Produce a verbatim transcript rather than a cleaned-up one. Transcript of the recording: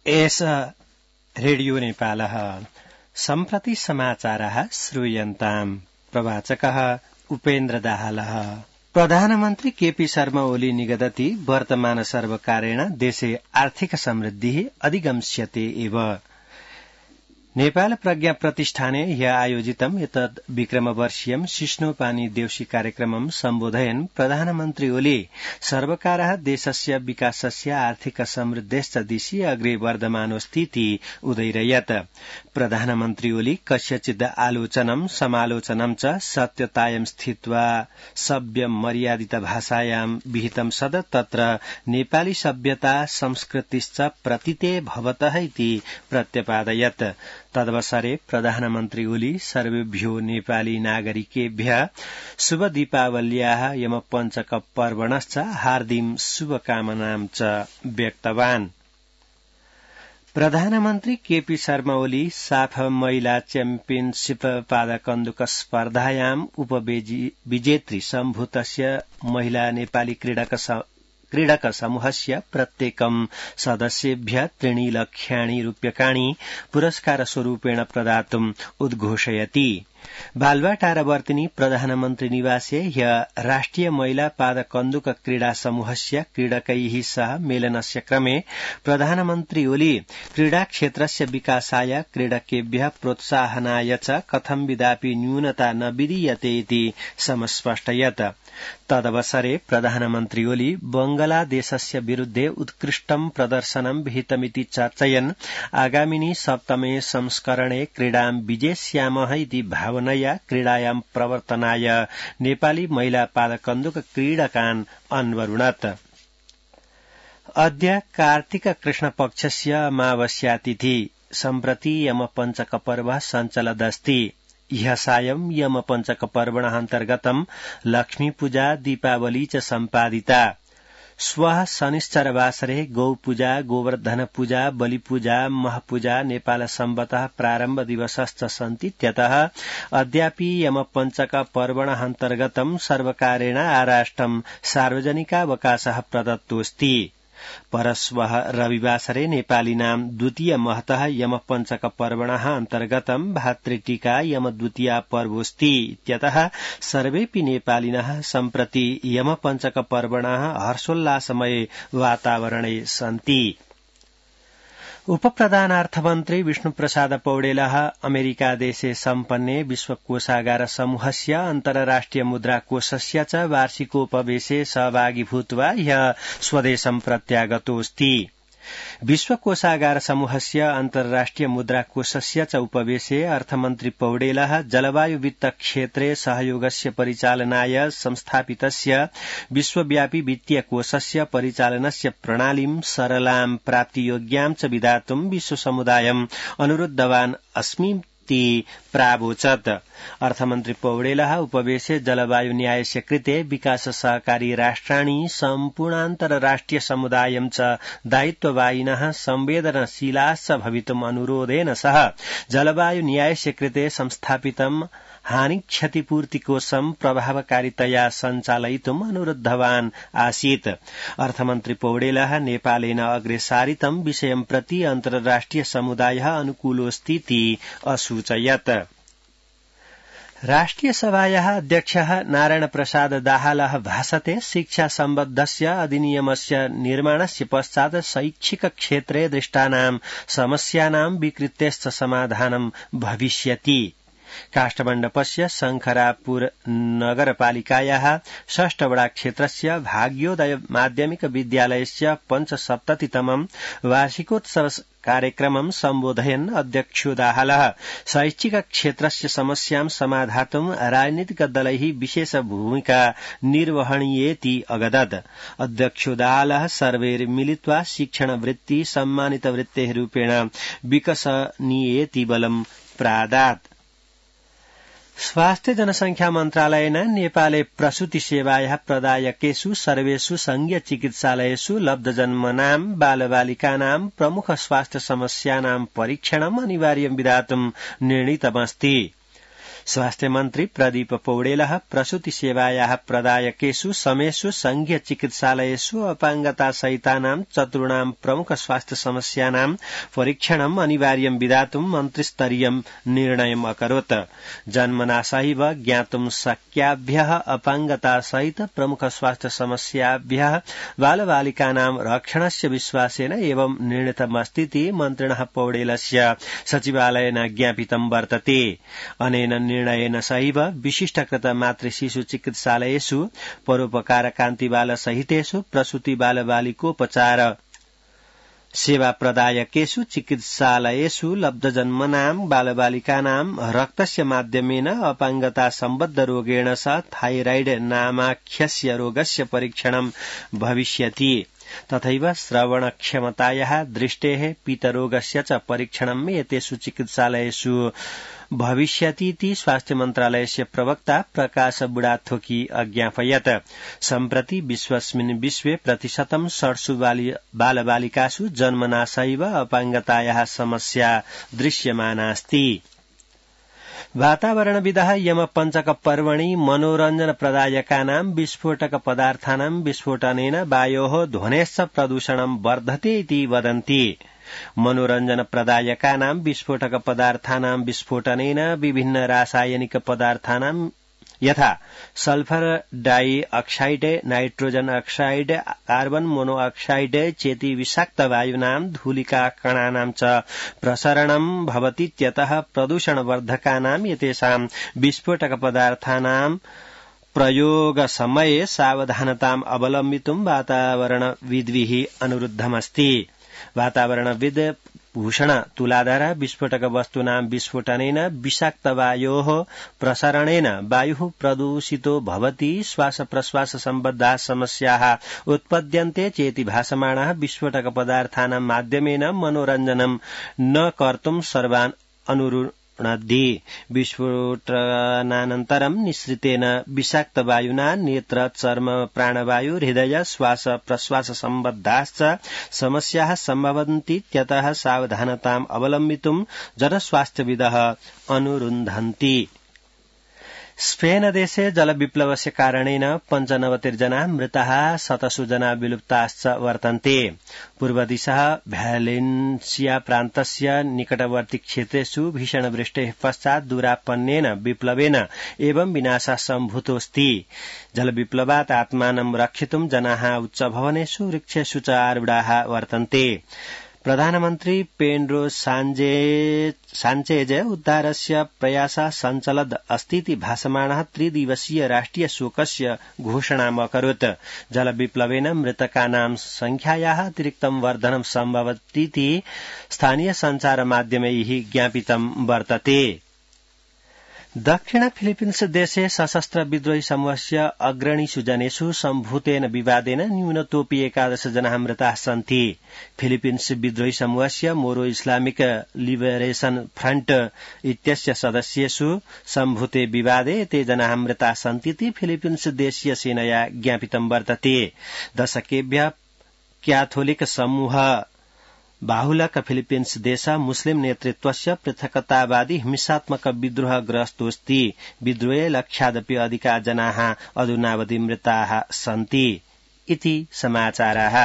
एष रेडियो नेपालः सम्प्रति समाचारः श्रूयन्ताम् प्रवाचकः उपेन्द्र दाहालः। प्रधानमन्त्री केपी शर्मा ओली निगदति वर्तमान सर्वकारेण देशे आर्थिक समृद्धिः अधिगम्स्यते एव। नेपाल प्रज्ञा प्रतिष्ठाने ह्य आयोजितम् एतद् विक्रमवर्षीयम् शिष्णोपानी देउसी कार्यक्रमम् सम्बोधयन् प्रधानमन्त्री ओली सर्वकारः देशस्य विकासस्य आर्थिक समृद्धेश्च दिशि अग्रे वर्धमानोऽस्तीति उदयिरयत्। प्रधानमन्त्री ओली कस्यचिद् आलोचनम् समालोचनम् च सत्यतायां स्थित्वा सभ्य मर्यादित भाषायां विहितं सद तत्र नेपाली सभ्यता संस्कृतिश्च प्रतीते भवतः इति प्रत्यपादयत्। तदवसरे प्रधानमन्त्री ओली सर्वेभ्यो नेपाली नागरिकेभ्यः शुभ दीपावल्याः यम पञ्चक पर्वणश्च हार्दिक शुभकामनां च व्यक्तवान्। प्रधानमन्त्री केपी शर्मा ओली साफ महिला च्याम्पियनशीप पादकन्दुक स्पर्धायाम् उपविजेत्री सम्भूतस्य महिला नेपाली क्रीडक क्रीडक समूहस्य प्रत्येकं सदस्येभ्यः त्रीणि लक्षाणि रूप्यकाणि पुरस्कार स्वरूपेण प्रदातुम् उद्घोषयति। बालुवाटारवर्तिनी प्रधानमन्त्री निवासे ह्य राष्ट्रिय महिला पादकन्दुक क्रीडा समूहस्य क्रीडकैः सह मेलनस्य क्रमे प्रधानमन्त्री ओली क्रीडा क्षेत्रस्य विकासाय क्रीडकेभ्यः प्रोत्साहनाय च कथं विदापि न्यूनता न विधीयते इति समस्पष्टयत्। तदवसरे प्रधानमन्त्री ओली बंगलादेशस्य विरुद्धे उत्कृष्टं प्रदर्शनं विहितमिति चर्चयन् आगामिनि सप्तमे संस्करणे क्रीडां विजेष्यामः इति भावनया क्रीडायां प्रवर्तनाय नेपाली महिला पादकन्दुक क्रीडकान् अन्वरुणत्। अद्य कार्तिक कृष्ण पक्षस्य अमावस्यातिथि सम्प्रति यम पञ्चक पर्व सञ्चलदस्ति। ह्यः सायं यम पञ्चक पर्वणः अन्तर्गतं लक्ष्मी पूजा दीपावली च सम्पादिता। श्वः शनिश्चरवासरे गौपूजा गोवर्धन पूजा बलिपूजा महपूजा नेपाल सम्वतः प्रारम्भ दिवसश्च सन्ति। त्यतः अद्यापि यम पञ्चक पर्वणः अन्तर्गतं सर्वकारेण आराष्टं सार्वजनिकावकाशः प्रदत्तोऽस्ति। परश्वः रविवासरे नेपालिनां द्वितीय महतः यम पञ्चक पर्वणः अन्तर्गतं भातृटीका यम द्वितीया पर्वोऽस्ति। इत्यतः सर्वेऽपि नेपालिनः सम्प्रति यम पञ्चक पर्वणः हर्षोल्लासमये वातावरणे सन्ति। उपप्रधानार्थमन्त्री विष्णुप्रसाद पौडेलः अमेरिकादेशे सम्पन्ने विश्वकोषागार समूहस्य अन्तर्राष्ट्रिय मुद्राकोषस्य च वार्षिकोपवेशे सहभागी भूत्वा ह्यः स्वदेशं प्रत्यागतोऽस्ति। विश्वकोषागार समूहस्य अन्तर्राष्ट्रिय मुद्राकोषस्य च उपवेशे अर्थमन्त्री पौडेलः जलवायु वित्त क्षेत्रे सहयोगस्य परिचालनाय संस्थापितस्य विश्वव्यापी वित्तीय कोषस्य परिचालनस्य प्रणालीं सरलां प्राप्तियोग्यां च विधातुं विश्वसमुदायम् अनुरुद्धवान् अस्मि प्रावोचत्। अर्थमन्त्री पौडेलः उपवेशे जलवायु न्यायस्य कृते विकास सहकारी राष्ट्राणि सम्पूर्णान्तरराष्ट्रिय समुदायं च दायित्ववायिनः संवेदनशीलाश्च भवितुम् अनुरोधेन सह जलवायु न्यायस्य कृते संस्थापितं हानि क्षतिपूर्तिकोषं प्रभावकारितया सञ्चालयितुम् अनुरुद्धवान् आसीत्। अर्थमन्त्री पौडेलः नेपालेन अग्रे सारितं विषयं प्रति अन्तर्राष्ट्रिय समुदायः अनुकूलोऽस्तीति असूचयत्। राष्ट्रिय सभायाः अध्यक्षः नारायण प्रसाद दाहालः भाषते शिक्षा सम्बद्धस्य अधिनियमस्य निर्माणस्य पश्चात् शैक्षिक क्षेत्रे दृष्टानां समस्यानां विकृतेश्च समाधानं भविष्यति। काष्ठमण्डपस्य शंखरापुर नगरपालिकायाः षष्ठवडा क्षेत्रस्य भाग्योदय माध्यमिक विद्यालयस्य पञ्चसप्ततितमं वार्षिकोत्सव कार्यक्रमं सम्बोधयन् अध्यक्षो दाहालः शैक्षिक क्षेत्रस्य समस्यां समाधातुं राजनीतिक दलैः विशेष भूमिका निर्वहणीयेति अगदत्। अध्यक्षो दाहालः सर्वैर्मिलित्वा शिक्षण वृत्ति सम्मानित वृत्तेः रूपेण विकसनीयेति बलं प्रादात्। स्वास्थ्य जनसंख्या मन्त्रालयेन नेपाले प्रसूति सेवायाः प्रदायकेषु सर्वेषु संघीय चिकित्सालयेषु लब्धजन्मनां बालबालिकानां प्रमुख स्वास्थ्य समस्यानां परीक्षणम् अनिवार्यं विधातुं निर्णीतमस्ति। स्वास्थ्य मन्त्री प्रदीप पौडेलः प्रसूति सेवायाः प्रदायकेषु समेषु संघीय चिकित्सालयेषु अपाङ्गता सहितानां चतुर्णां प्रमुख स्वास्थ्य समस्यानां परीक्षणम् अनिवार्यं विधातुं मन्त्रिस्तरीयं निर्णयम् अकरोत् जन्मना सहैव ज्ञातुं शक्याभ्यः अपाङ्गता सहित प्रमुख स्वास्थ्य समस्याभ्यः बालबालिकानां रक्षणस्य विश्वासेन एवं निर्णीतमस्तीति मन्त्रिणः पौडेलस्य सचिवालयेन ज्ञापितं वर्तते अनेन निर्णयेन सहैव विशिष्टकृत मातृशिशु चिकित्सालयेषु परोपकार कान्ति बाल सहितेषु प्रसूति बालबालिकोपचार सेवा प्रदायकेषु चिकित्सालयेषु लब्धजन्मनां बालबालिकानां रक्तस्य माध्यमेन अपाङ्गता सम्बद्ध रोगेण सह थाइराइड नामाख्यस्य रोगस्य परीक्षणं भविष्यति तथैव श्रवणक्षमतायाः दृष्टेः पीतरोगस्य च परीक्षणम् एतेषु चिकित्सालयेषु भविष्यतीति स्वास्थ्य मन्त्रालयस्य प्रवक्ता प्रकाश बुढाथोकी अज्ञापयत् सम्प्रति विश्वस्मिन् विश्वे प्रतिशतं षट्सु बालबालिकासु जन्मना सहैव अपाङ्गतायाः समस्या दृश्यमानास्ति वातावरणविदः यमपञ्चक पर्वणि मनोरञ्जन प्रदायकानां विस्फोटक पदार्थानां विस्फोटनेन वायोः ध्वनेश्च प्रदूषणं वर्धते इति वदन्ति मनोरञ्जन प्रदायकानां विस्फोटक पदार्थानां विस्फोटनेन विभिन्न रासायनिक पदार्थानां यथा sulphur dioxide nitrogen oxide carbon monoxide चेति विषाक्त वायुनां धूलिका कणानां च प्रसरणं भवतीत्यतः प्रदूषणवर्धकानां एतेषां विस्फोटक पदार्थानां प्रयोगसमये सावधानताम् अवलम्बितुं वातावरणविद्भिः अनुरुद्धमस्ति वातावरणविद् भूषण तुलाधर विस्फोटक वस्तूनां विस्फोटनेन विषाक्त वायोः प्रसरणेन वायुः प्रदूषितो भवति श्वास प्रश्वास सम्बद्धाः समस्याः उत्पद्यन्ते चेति भासमाणः विस्फोटक पदार्थानां माध्यमेन मनोरञ्जनं न कर्तुं सर्वान् अनुरुणद्धि विस्फोटनानन्तरं निःसृतेन विषाक्त वायुना नेत्र चर्म प्राणवायु हृदय श्वास प्रश्वास सम्बद्धाश्च समस्याः सम्भवन्तीत्यतः सावधानताम् अवलम्बितुं जनस्वास्थ्यविदः अनुरुन्धन्ति स्पेन देशे जलविप्लवस्य कारणेन पञ्चनवतिर्जना मृताः शतसु जना विलुप्ताश्च वर्तन्ते पूर्वदिशः भ्यालेन्सिया प्रान्तस्य निकटवर्ती क्षेत्रेषु भीषणवृष्टेः पश्चात् दूरापन्नेन विप्लवेन एवं विनाशः सम्भूतोऽस्ति जलविप्लवात् आत्मानं रक्षितुं जनाः उच्चभवनेषु वृक्षेषु च आरूढाः वर्तन्ते प्रधानमन्त्री पेड्रो साञ्चेज उद्धारस्य प्रयासः सञ्चलद् अस्तीति भासमाणः त्रिदिवसीय राष्ट्रिय शोकस्य घोषणाम् अकरोत् जलविप्लवेन मृतकानां संख्यायाः अतिरिक्तं वर्धनं सम्भवतीति स्थानीय सञ्चार माध्यमैः ज्ञापितं वर्तते दक्षिण फिलिपिन्स देशे सशस्त्र विद्रोही समूहस्य अग्रणीषु जनेषु सम्भूतेन विवादेन न्यूनतोऽपि एकादश जनाः मृताः सन्ति फिलिपिन्स विद्रोही समूहस्य मोरो इस्लामिक लिबरेशन फ्रन्ट इत्यस्य सदस्येषु सम्भूते विवादे ते जनाः मृताः सन्तीति फिलिपिन्स देशीय सेनया ज्ञापितं वर्तते दशकेभ्यः क्याथोलिक समूह बाहुलक फिलिपिन्स देश मुस्लिम नेतृत्वस्य पृथकतावादी हिंसात्मक विद्रोहग्रस्तोऽस्ति विद्रोहे लक्षादपि अधिका जनाः अधुनावधि मृताः सन्ति इति समाचाराः।